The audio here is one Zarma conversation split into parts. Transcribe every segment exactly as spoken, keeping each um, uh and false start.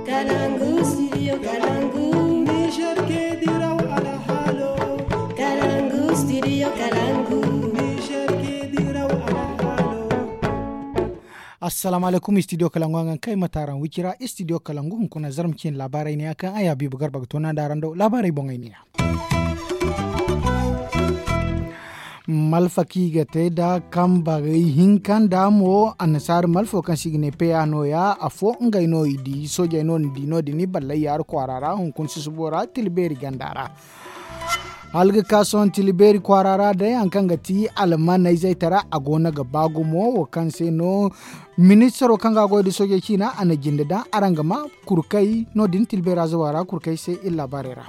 Kalangu studio kalangu. Niger ke diraw alhalo. Kalangu studio kalangu. Niger ke diraw alhalo. Assalamu alaikum studio kalangu, an ga kay mataaran wicira studio kalangu hunkuna zarma cin laabaarey ne a kaŋ ay habiibu garba ga toona da araŋ do laabaarey boŋey ne ya. Malfa kaŋ i ga te nda kambarey hinka nda mo annasaara malfo kaŋ se i ga ne peya nooya afo ngey no i di soojey no ni di no- din i ballay yaari kwaara ra hunkuna susubo ra tila beeri ganda ra. Hala ga ka sohõ tila beeri kwaara ra day hari kaŋ ga ti almaney zaytara a go no ga ba gumo wo kaŋ se no ministaro kaŋ ga a goy nda soojey ciina a na jinde daŋ araŋ ga ma kurkey no- din tila beera zawa ra kurkey se iri laabaarey ra.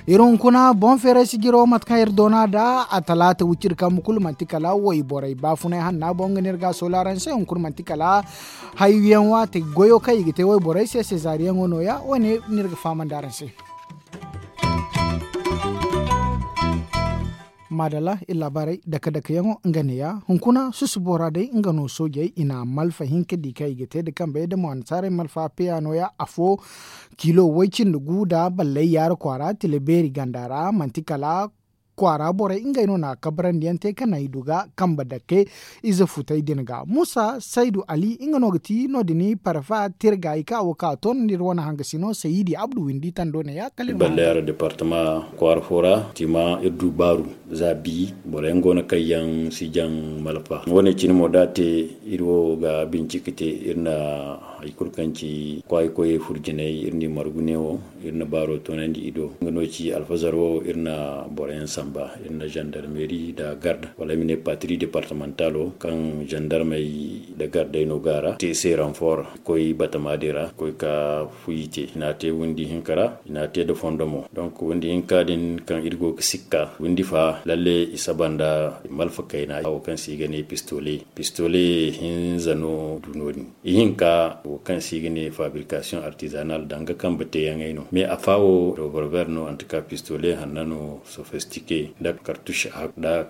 Iri hunkuna boŋ feeray sijiro mate kaŋ iri doona nda a talaata wiciri kambe kulu manti kala wayborey baafunay hanna boŋ ga no iri ga a soola araŋ se hunkuna manti kala hayyaŋ waate goyo kaŋ i ga te wayborey se sezaariyaŋo nooya wo- ne no iri ga fahamandi araŋ se. Maadalla iri laabaarey dake dake yaŋo nga neeya hunkuna susubo ra day nga no soojey i na malfa hinka di kaŋ i ga te nda kambe nda mo annasaarey malfa peya nooya afo kilo way cindi gu nda ballay yaara kwaara tila beeri ganda ra manti kala kwaara borey ngey no na kabarandi yaŋ te kaŋ naŋ i du ga kambe dake ize futey din ga muusa saydu ali nga no ga ti no- din parfa tirgay kaŋ a wo kaŋ a toonandi iri wane hangasino sayidi abdu windi tando neeya kala iri ma ballay yaara departama kwaara fo ra tima iri du baaru za bi boro yaŋ go no kaŋ yaŋ si jaŋ malfa wane cine mo da a te iri wo ga bincike te iri na hari kulu kaŋ ci kwaayi koyey furjinay iri n'i margu neewo iri na baaro toonandi i do nga no ci alfazar wo iri na boro yaŋ samba iri na zandarmeri nda garda wala ay ma ne patri departamentalo kaŋ zandarmey nda gardey no go a ra te i se ranfor koy batama din ra koy ka fuyi te i n'a te windi hinka ra i n'a te nda fondo mo donk windi hinka din kaŋ iri go ga sikka windi fa lalle i saba nda malfa kayna wo kaŋ se i ga ne pistole pistole hinza no du no- din ihinka wo kaŋ se i ga ne fabrikasiyoŋ artizanal danga kambe teeyaŋey no mais a fa wo revolver no antika pistole hanna no sofistike nda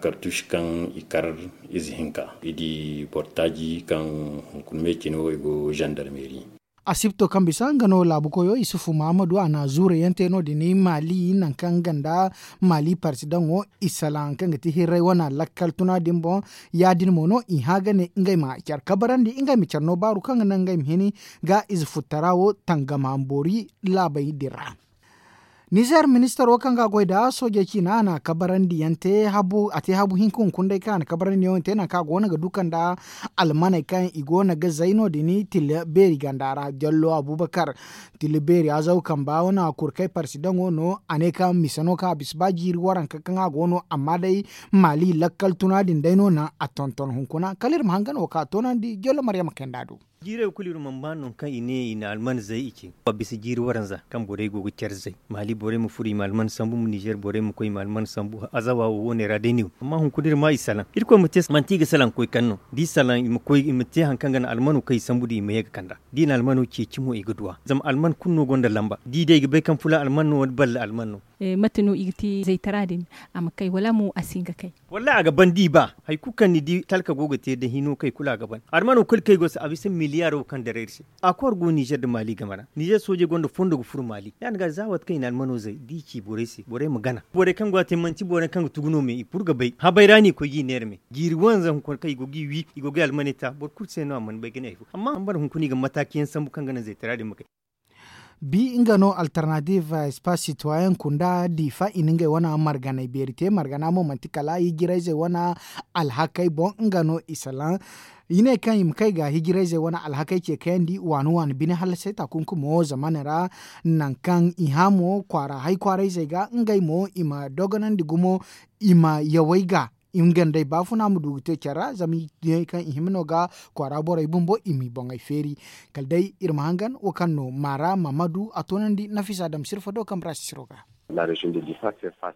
kartush kaŋ i kar ize hinka i di bortaaji kaŋ hunkuna me cine wo i go zandarmeri. Asibto kaŋ bisa nga no laabu koyo isufu mahamadu a na zuure yaŋ te no- din maali nangu kaŋ nga nda maali parsidaŋo isalaŋ kaŋ ga ti hirray wane lakkal tuna din boŋ ya- din mo no i hã ga ne ngey ma care kabarandi ngey ma care no baaru kaŋ ga naŋ ngey ma hini ga ize futtara wo tangam hamboori laabey din ra. Nizer ministaro kaŋ ga a goy nda soojey ciina a na kabarandiyaŋ te a te habu hinka hunkuna day kaŋ a na kabarandiyaŋo te nangu kaŋ a go no ga du kanda almaney kaŋ i go no ga zay no- din tila beeri ganda ra jallo abubakar tila beeri azaw kamba wane a kurkay parsidaŋo no a ne kaŋ misa no kaŋ a bisa ba jiiri waranka kaŋ a go no amma day maali lakkal tuna din day no naŋ a tonton hunkuna kala iri ma hangan wo kaŋ a toonandi jallo maryama kayanda do. Jiirey kulu iri mana ba nangu kaŋ i ne i na alman zay i ce a bisa jiiri waranza kaŋ borey go ga care zay maali borey ma furo i ma alman sambu nizer borey ma koy i ma alman sambu azawa wo wo ne ra day no. Amma hunkuna iri ma i salaŋ irkoy ma te manti i ga salaŋ koy kaŋ no da i salaŋ i ma te hari kaŋ ga naŋ almano kaŋ i sambu da i ma ye ga kand'a da i na almano ceeci mo i ga duw'a zama alman kulu no gonda lamba da i day i ga bay kaŋ fula alman no wala balla alman no. Mate no i ga te zaytara din a ma kay wala mo a si hin ga kay? Wallahi a ga ban da i ba hari kulu kaŋ ni di talka go ga te da hino kay kulu a ga ban almano kulu kaŋ i go se a bisa miliyaro kaŋ dara iri se. Akor go nizer nda maali game ra nizer soojey gonda fondo ga furo maali ya- din ga za waati kaŋ i na almano zay da i ci borey se borey ma gana borey kaŋ go a te manti borey kaŋ ga tugu no me i kulu ga bay habay ra no i koy ga i neera me jiiri wanza hunkuna kaŋ i go ga i wi i go ga i almaney ta boro kulu se no a mana bay ga ne hari fo amma hambara hunkuna i ga mataakiyaŋ sambu kaŋ ga naŋ zaytara din ma kay. Bi nga no alternative espace citoyen kunda diifa i na ngey wane marganey beeri te margana mo manti kala hijirayzey wane alhakey boŋ nga no i salaŋ i ne kaŋ i ma kay ga hijirayzey wane alhakey ce kayandi waani waani bine hallasay taakunkumo zamane ra. Nangu kaŋ i hã mo kwaara hay kwaarayzey ga ngey mo i ma dogonandi gumo i ma yawey ga i ma gandey baafuna ma du ga te care ra zama i ne kaŋ i hima no ga kwaara borey bumbo i m'i boŋey feeri. Kala day iri ma hangan wo kaŋ no maara mammadu a toonandi nafisa dam sirfa do kambe ra sisiro ga.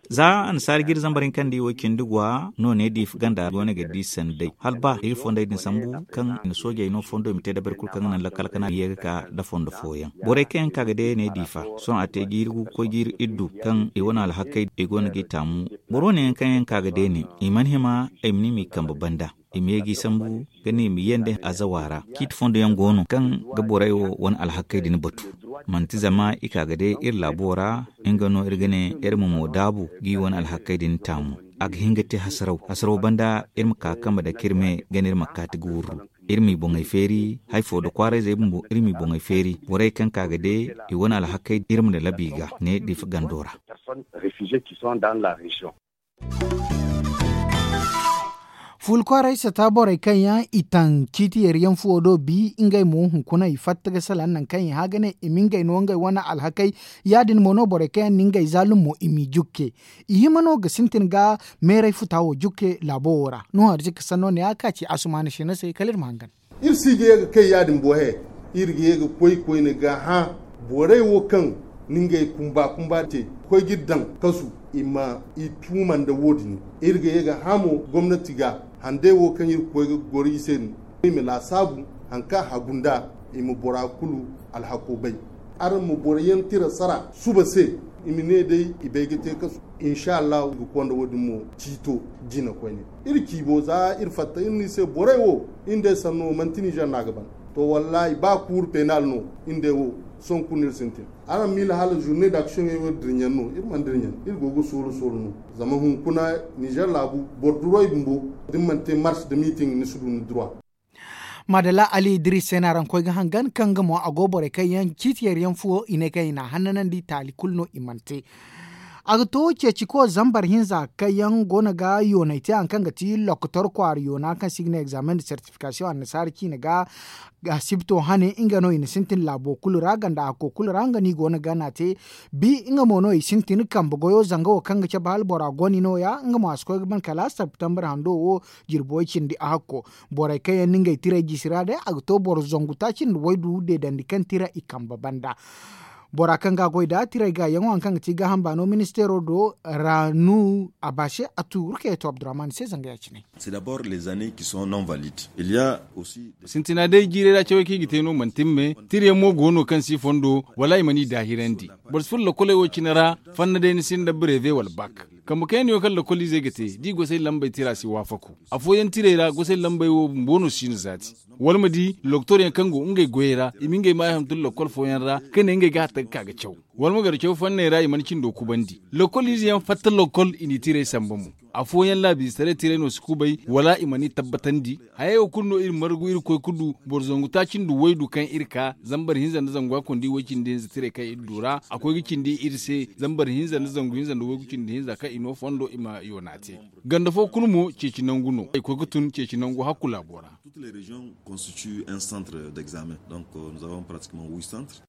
Za annasaara jiiri zambar hinka nda i wo cindi gwa no ne diifa ganda go no ga di sanday hala ba iri fondey din sambu kaŋ i na soojey no fondo i ma te dabari kulu kaŋ ga naŋ lakkal kana i ye ga ka nda fondo fooyaŋ borey kaŋ yaŋ ka ga day ne diifa sohõ a te jiiri gu ga koy jiiri iddu kaŋ i wane alhakey i go no ga i taamu. Boro wane yaŋ kaŋ yaŋ ka ga day ne i mana hima ay ma ne i m'i kambe banda. i ma ye g'i sambu ga ne i ma ye nda azawa ra. Ciiti fondo yaŋ go no kaŋ ga borey wo wane alhakey din batu. Manti zama i ka ga day iri laabo ra, nga no iri ga ne iri ma mo daabu g'i wane alhakey din taamu. A ga hin ga te hasaraw hasaraw banda iri ma ka ga kambe dake iri me ga ne iri ma kaati ga wurru. Iri m'i boŋey feeri hari fo nda kwaarayzey bumbo iri m'i boŋey feeri borey kaŋ ka ga day i wane alhakey iri ma na labi ga ne difa gando ra. Fuula kwaaray sata borey kaŋ yaŋ i taŋ ciiti yari yaŋ fuwo do bi ngey mo hunkuna i fatta ga salaŋ nangu kaŋ i hã ga ne i ma ngey no ngey wane alhakey. Ya- din mo no borey kaŋ yaŋ na ngey zaalum mo i m'i jukke. I hima no ga sintin ga meeray futa wo jukke laabo wo ra. Nuhu arzika sanno ne ya ka ci asumaana sina se kala iri ma hangan. Iri si ga ye ga kay ya- din bo he. Iri ga ye ga koy koyne ga hã borey wo kaŋ na ngey kumba kumba te ga koy ga iri daŋ kasu i ma i tuuma nda wo- din. Iri ga ye ga hã mo gomnati ga handey wo kaŋ iri ga koy ga goro i se din i ma laasaabu hari kaŋ a hagu nd'a i ma bora kulu alhako bay. Araŋ ma boro yaŋ tira sara suba se i ma ne day i bay ga te kasu. Insa allahu i ga konda wo- din mo ciito jina koyne. Iri ciibo za iri fatta iri no i se borey wo iri nd'ey sanno manti nizer no a ga ban. To wallaahi ba kuuru peenal no iri nd'ey wo sohõ kulu no iri sintin. Araŋ miila hala zurne da aksiyoŋey wo iri dirɲaŋ no iri mana dirɲaŋ. Iri go ga soolo soolo no zama hunkuna nizer laabu boro duroy bumbo da ni mana te mars nda miiting ni si du ni duruwa. Maadalla ali idris se no araŋ koy ga hangan kaŋ nga mo a go borey kaŋ yaŋ ciiti yari yaŋ fuwo i ne kaŋ i n'a hannanandi taali kulu no i mana te. A ga to ceeciko zambar hinza kaŋ yaŋ go no ga yoonay te hari kaŋ ga ti lokotor kwaara yoona kaŋ se i ga ne examen de sertifikasiyoŋ annasaara ciine ga asibto hane nga no i na sintin laabo kulu ra ganda hakko kulu ra nga no i go no ga n'a te. Bi nga mo no i sintin kambe goyo zanga wo kaŋ ga cabe hala bora goni no- ya nga mo a si koy ga ban kala septembre hando wo jirbi way cindi a hakko. Borey kaŋ yaŋ na ngey tirey jisi ra day a ga to boro zangu taaci nda waydu deedandi kaŋ tira i kambe banda. Bora kaŋ ga a goy nd'a tirey gaayaŋo hari kaŋ ga ti gaaham baano ministeero do ra nu a baase a tuuru kaŋ yaŋ to abdurrahman se zanga ya- cine. Sintina day jiirey ra cawey kaŋ i ga te no manti ni me tirayaŋ mo go no kaŋ si fondo wala i mana i daahirandi. Boro si furo lakoley wo cine ra fanna day ni sinda breve wala bak. Kambe kaŋ yaŋ no yaŋ kaŋ lakoliizey ga te da i gosey lambey tira si waafaku. Afooyaŋ tirey ra gosey lambey wo bumbo no si no zaati. Wala ma di lokotoryaŋ kaŋ go ngey goyey ra i ma ngey maayo hantum lokol fooyaŋ ra ka ne ngey ga hatta ga ka ga caw. Wala ma gar caw fanney ra i mana cindo kubandi lokoliize yaŋ fatta lokol i n'i tirey samba mo. Afooyaŋ laabiizetaray tirey no si kubay wala i mana i tabbatandi. Hayey wo kulu no iri margu iri koy ga du boro zangu taaci nda waydu kaŋ iri ka zambar hinza nda zangu hakkundi way cindi hinza tirey kaŋ iri du ra a koy ga cindi iri se zambar hinza nda zangu hinza nda waygu cindi hinza kaŋ i no fondo i ma yoona te. Ganda fo kulu mo ceeci nangu no ay koy ga tun ceeci nangu hakku laabo ra. Toutes les régions constituent un centre d'examen. Donc nous avons pratiquement huit centres.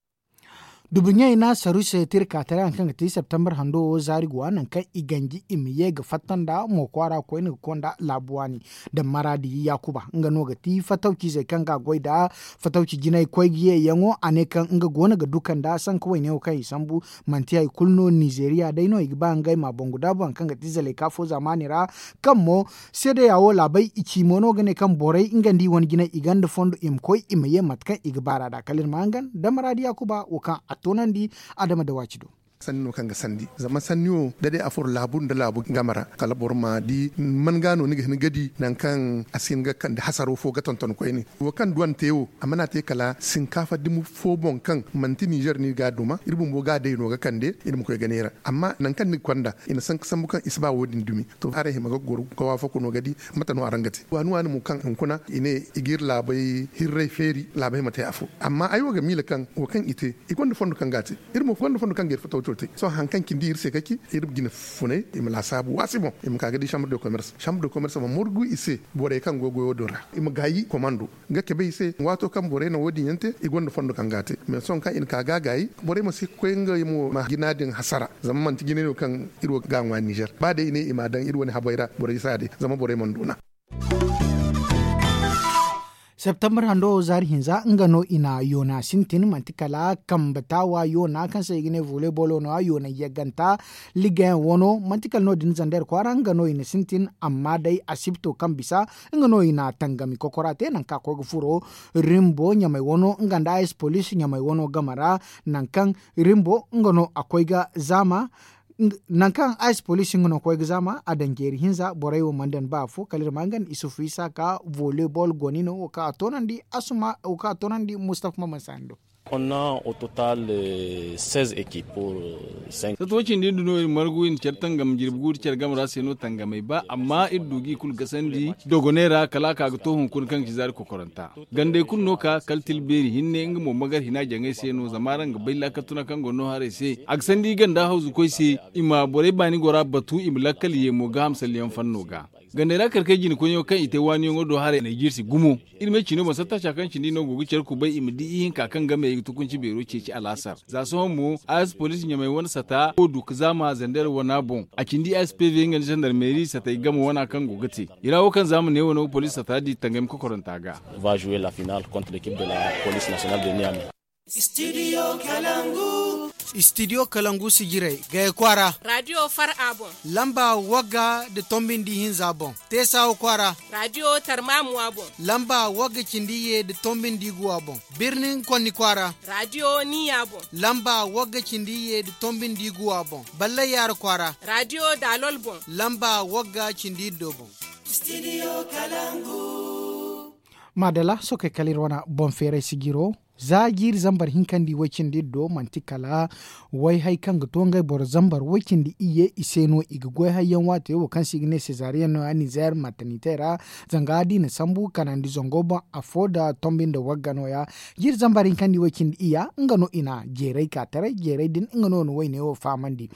Dubuɲey na saru se tirka taray hari kaŋ ga ti septembre hando wo zaari go a nangu kaŋ i ganji i ma ye ga fatta nda mo kwaara koyne ga konda laabu waani. Da maraadi yaakuba nga no ga ti fatawcizey kaŋ ga a goy nda fatawci jinay koy ga ye yaŋo a ne kaŋ nga go no ga duka nda sanka wayne wo kaŋ i sambu. Manti hari kulu no nizeeriya day no i ga ba ngey ma a bangu daabu hari kaŋ ga ti zalay ka fo zaamaani ra. Kaŋ mo seedeya wo laabey i ci mo no ga ne kaŋ borey nga nda i wane jinay i gonda fondo i ma koy i ma ye mate kaŋ i ga baar'a nd'a kala iri ma hangan da maraadi yaakuba wo kaŋ a toonandi adama da waaci do. Sanni no kaŋ ga sandi zama sanni wo da day a furo laabu nda laabu game ra kala boro ma di man ga no ni ga hin ga di nangu kaŋ a si hin ga kande hasaro fo ga tonton koyne. Wo kaŋ duwante wo a mana te kala sinkaafa dumi fo boŋ kaŋ manti nizer no i ga a duma iri bumbo ga a day no ga kande iri ma koy ga neera. Amma nangu kaŋ ni ga konda i na sanka sambu kaŋ i si ba wo- din dumi. To araŋ hima ga goro ga waafaku no ga di mate no araŋ ga te waani waani mo kaŋ hunkuna i ne i ga iri laabey hirray feeri laabey ma te afo. Amma ay wo ga miila kaŋ wo kaŋ i te i gonda fondo kaŋ ga a te. Iri mo gonda fondo kaŋ ga iri fatawco te sohõ hari kaŋ cindi iri se ga ci iri jine funay i ma laasaabu waasi boŋ i ma ka ga di chambre de commerce chambre de commerce ma morgu i se borey kaŋ go goyo din ra i ma gaayi komando. Nga cabe i se waato kaŋ borey na wo- din yaŋ te i gonda fondo kaŋ ga a te mais sohõ kaŋ i na ka ga a gaayi borey ma si koy ngey mo ma jina din hasara. Zama manti jinay no kaŋ iri wo ga a ŋwa nizer ba day i ne i m'a daŋ iri wane habey ra borey si a day zama borey mana doona. Septembre hando wo zaari hinza nga no i na yoona sintin manti kala kambe taawa yoona kaŋ se i ga ne volley bolo no- ya yoonay yagganta ligayaŋ wano manti kala no- din zander kwaara nga no i na sintin amma day asibto kaŋ bisa nga no i na tangami kokora te nangu kaŋ a koy ga furo rimbo ɲamay wano nga nda a s police ɲamay wano game ra. Nangu kaŋ rimbo nga no a koy ga zaama Nangu kaŋ ice police nga no ga koy ga zaama a daŋ jeeri hinza borey wo mana daŋ ba afo kala iri ma nga nda isufu isa ka volley ball goni no wo kaŋ a toonandi asuma wo kaŋ a toonandi mustafa maman sani do. Sato wo cindi nda no iri margu iri na care tangam jirbi gu nda care game ra se no tangamey ba amma iri du ga i kulu gasandi dogoney ra kala a ka ga to hunkuna kaŋ ga ci zaari kokoranta. Gandey kulu no ka kala tilbeeri hinne nga mo magar hina jaŋey se no zama araŋ ga bay laakal tuna kaŋ go no haray se a ga sandi ganda hawzu koy se. I ma borey baani gora batu i ma lakkal ye mo ga hamsalyaŋ fanno ga. Gandey ra kar kay jina koyyaŋo kaŋ i te waaniyaŋo do haray na i jirsi gumo. Iri me ciino boŋ sattaaca kaŋ cindi no go ga care kubay i ma di ihinka kaŋ game i ga tukunci beero ceeci alaasar za sohõ mo a s poliisi ɲamay wane sata wo du ga zaama zander wana boŋ. A cindi s p v nga nda zandarmeeri satay game wana kaŋ go ga te i ra wo kaŋ zaama ne wane wo poliisi sata di tangami kokoranta ga. Va jouer la finale contre l'équipe de la police nationale de niamey. Studio kalangu. Studio kalangu sijirey gaya kwaara. Radio far a boŋ. Lamba wagga nda tombi nda ihinza boŋ. Teesawa kwaara. Radio tarmamuwa boŋ. Lamba wagga cindi ye nda tombi nda iguwa boŋ. Birnin konni kwaara. Radio niya boŋ. Lamba wagga cindi ye nda tombi nda iguwa boŋ. Ballay yaara kwaara. Radio dalol boŋ. Lamba wagga cindi iddo boŋ. Maadala sookey kala iri wane boŋ feeray sijiro. Za jiiri zambar hinka nda i way cindi iri do manti kala way hay kaŋ ga to ngey boro zambar way cindi iyye i se no i ga goy hayyaŋ waati wo kaŋ se i ga ne sezaariyaŋ no- ya nizeer matanitey ra. Zanga da i na sambu kanandi zango boŋ afo nda tombi nda wagga no- ya. Jiiri zambar hinka nda i way cindi iyya nga no i na jeeray ka taray jeeray din nga no na wayne wo fahamandi.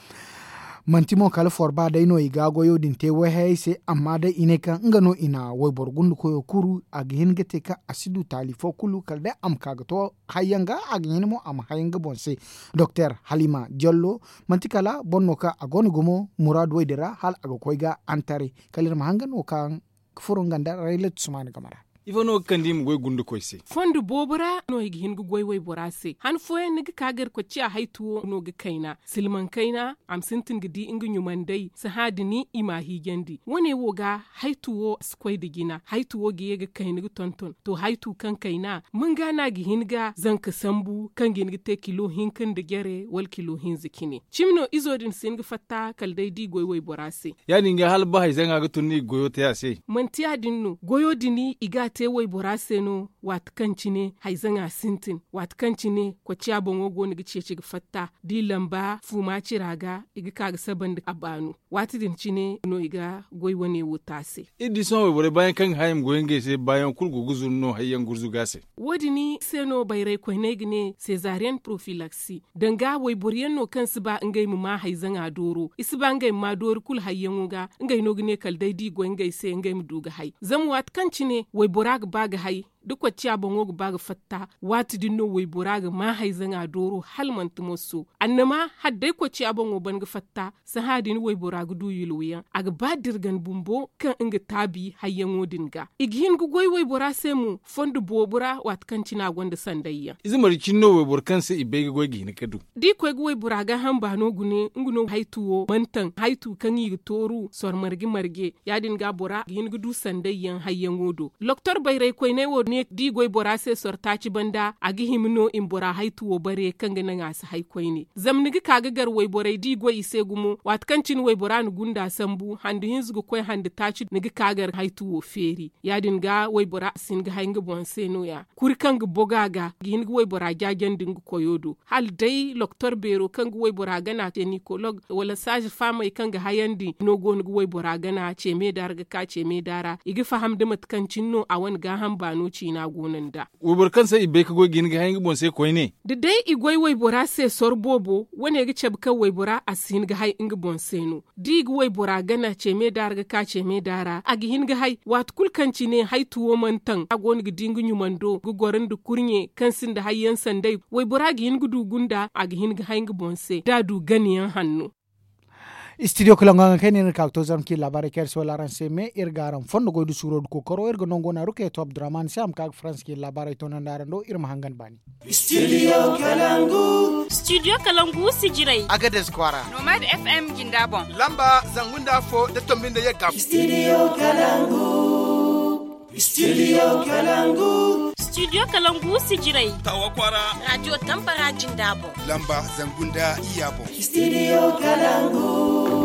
Manti mo kala forba day no i ga goyo din te wayhayey se amma day i ne kaŋ nga no i na wayboro gundukoyo kuru a ga hin ga te kaŋ a si du taali fo kulu kala day a ma ka ga to hayyaŋ ga a ga hin mo a ma hayaŋ ga boŋ se. Doktor halima jollo manti kala boro no kaŋ a go no gumo muraadu way din ra hala a ga koy ga antare kala iri ma hangan wo kaŋ ga furo nga nda raylat sumaani game ra. Ifo no ga kande i ma goy gundukoy se? Fondo boobo ra no i ga hin ga goy waybora se han fooyaŋ ni ga ka gar kocciya haytu wo no ga kayna silmaŋ kayna a ma sintin ga di nga ɲumandey sahã din i m'a hiijandi wane wo ga haytu wo si koy nda jina haytu wo ga ye ga kayna ga tonton to haytu kaŋ kayna manga no a ga hin ga zanka sambu kaŋ ga hin ga te kilo hinka nda jare wala kilo hinza cine cimi no izo din si hin ga fatta kala day da i goy waybora se. Ya- din ga hala ba hayzaŋa ga tun no i ga goyo te a se. Manti ya- din no goyo din i ga a te waybora se no waati kaŋ cine hayzaŋa sintin waati kaŋ cine kocciya boŋo go no ga ceeci ga fatta da i lamba fuuma cira ga i ga ka ga saba nda a baanu. Waati din cine no i ga goy wane wo te a se. Iri di sohõ wayborey baayaŋ kaŋ ga hã i ma goy ngey se baayaŋ kulu go ga zuru no hayyaŋ gurzuga se. Wo- din se no bayray koyney ga ne sezaariyaŋ porofilaksi danga wayboro yaŋ no kaŋ si ba ngey ma ma hayzaŋa dooro i si ba ngey ma ma doori kulu hayyaŋo ga ngey no ga ne kala day da i goy ngey se ngey ma du ga hay zama waati kaŋ cine waybora ga ba ga hay da kocciya boŋo ga ba ga fatta waati din no waybora ga ma hayzaŋa dooro hala manti moso annama hala day kocciya boŋo ban ga fatta sahã din waybora ga du yulwayaŋ a ga ba dirgan bumbo kaŋ nga taabi hayyaŋo din ga i ga hin ga goy waybora se mo fondo boobo ra waati kaŋ cine a gonda sandayyaŋ. Ize marje cine no wayboro kaŋ se i bay ga goy ga hin ga du da i koy ga waybora gaaham baano gune nga no haytu wo mantaŋ haytu kaŋ i ga tooru sor marje marje ya- din ga bora ga hin ga du sandayyaŋ hayyaŋo do loktor bayray koyney wo ne da i goy bora se sor taaci banda a ga hima no i ma bora haytu wo bare kaŋ ga naŋ a si hay koyne zama ni ga ka ga gar wayborey da i goy i se gumo waati kaŋ cine waybora na gunda sambu handu hinza ga koy handu taaci ni ga ka gar haytu wo feeri ya- din ga waybora a si hin ga hay nga boŋ se no- ya kuri kaŋ ga boga ga ga hin ga waybora jaajandi nga koyo do hala day loktor beero kaŋ ga waybora gana tenikolog wala saaza faamey kaŋ ga hayandi no go no ga waybora gana ceeme da ra ga ka ceeme da ra i ga faham da mate kaŋ cine no a wane gaaham baano ciina go no nd'a. Wayboro kaŋ se i bay ga goy ga hin ga hay nga boŋ se koyne. Da day i goy waybora se sor boobo wane ga cabe kaŋ waybora a si hin ga hay nga boŋ se no da i ga waybora gana ceeme da ra ga ka ceeme da ra a ga hin ga hay waati kulu kaŋ cine haytu wo mana taŋ a go no ga di nga ɲumando ga goro nda kurɲe kaŋ sinda hayyaŋ sanday waybora ga hin ga du gunda a ga hin ga hay nga boŋ se da a du ganayaŋ hanno. Studio kala ŋwa ga kayna iri ga ka ga to zarma kaŋ iri laabaarey kaŋ iri si wala araŋ se me iri ga araŋ fondo goy da suuro da kookaro iri ga nango naaru kaŋ yaŋ to abdurrahman se a ma ka ga faransa kaŋ iri laabaarey toonandi araŋ do iri ma hangan baani. Studio kalangu. Studio kalangu sijirey. Agades kwaara. Nomad f m jinda boŋ. Lamba zangu nda afo da tombi nda yagga. Studio kalangu. Studio kalangu. Studio Kalangu Sijirai. Tawa Kwara. Radio Tambara Jinda boŋ. Lamba zangu nda iyya boŋ. Studio Kalangu.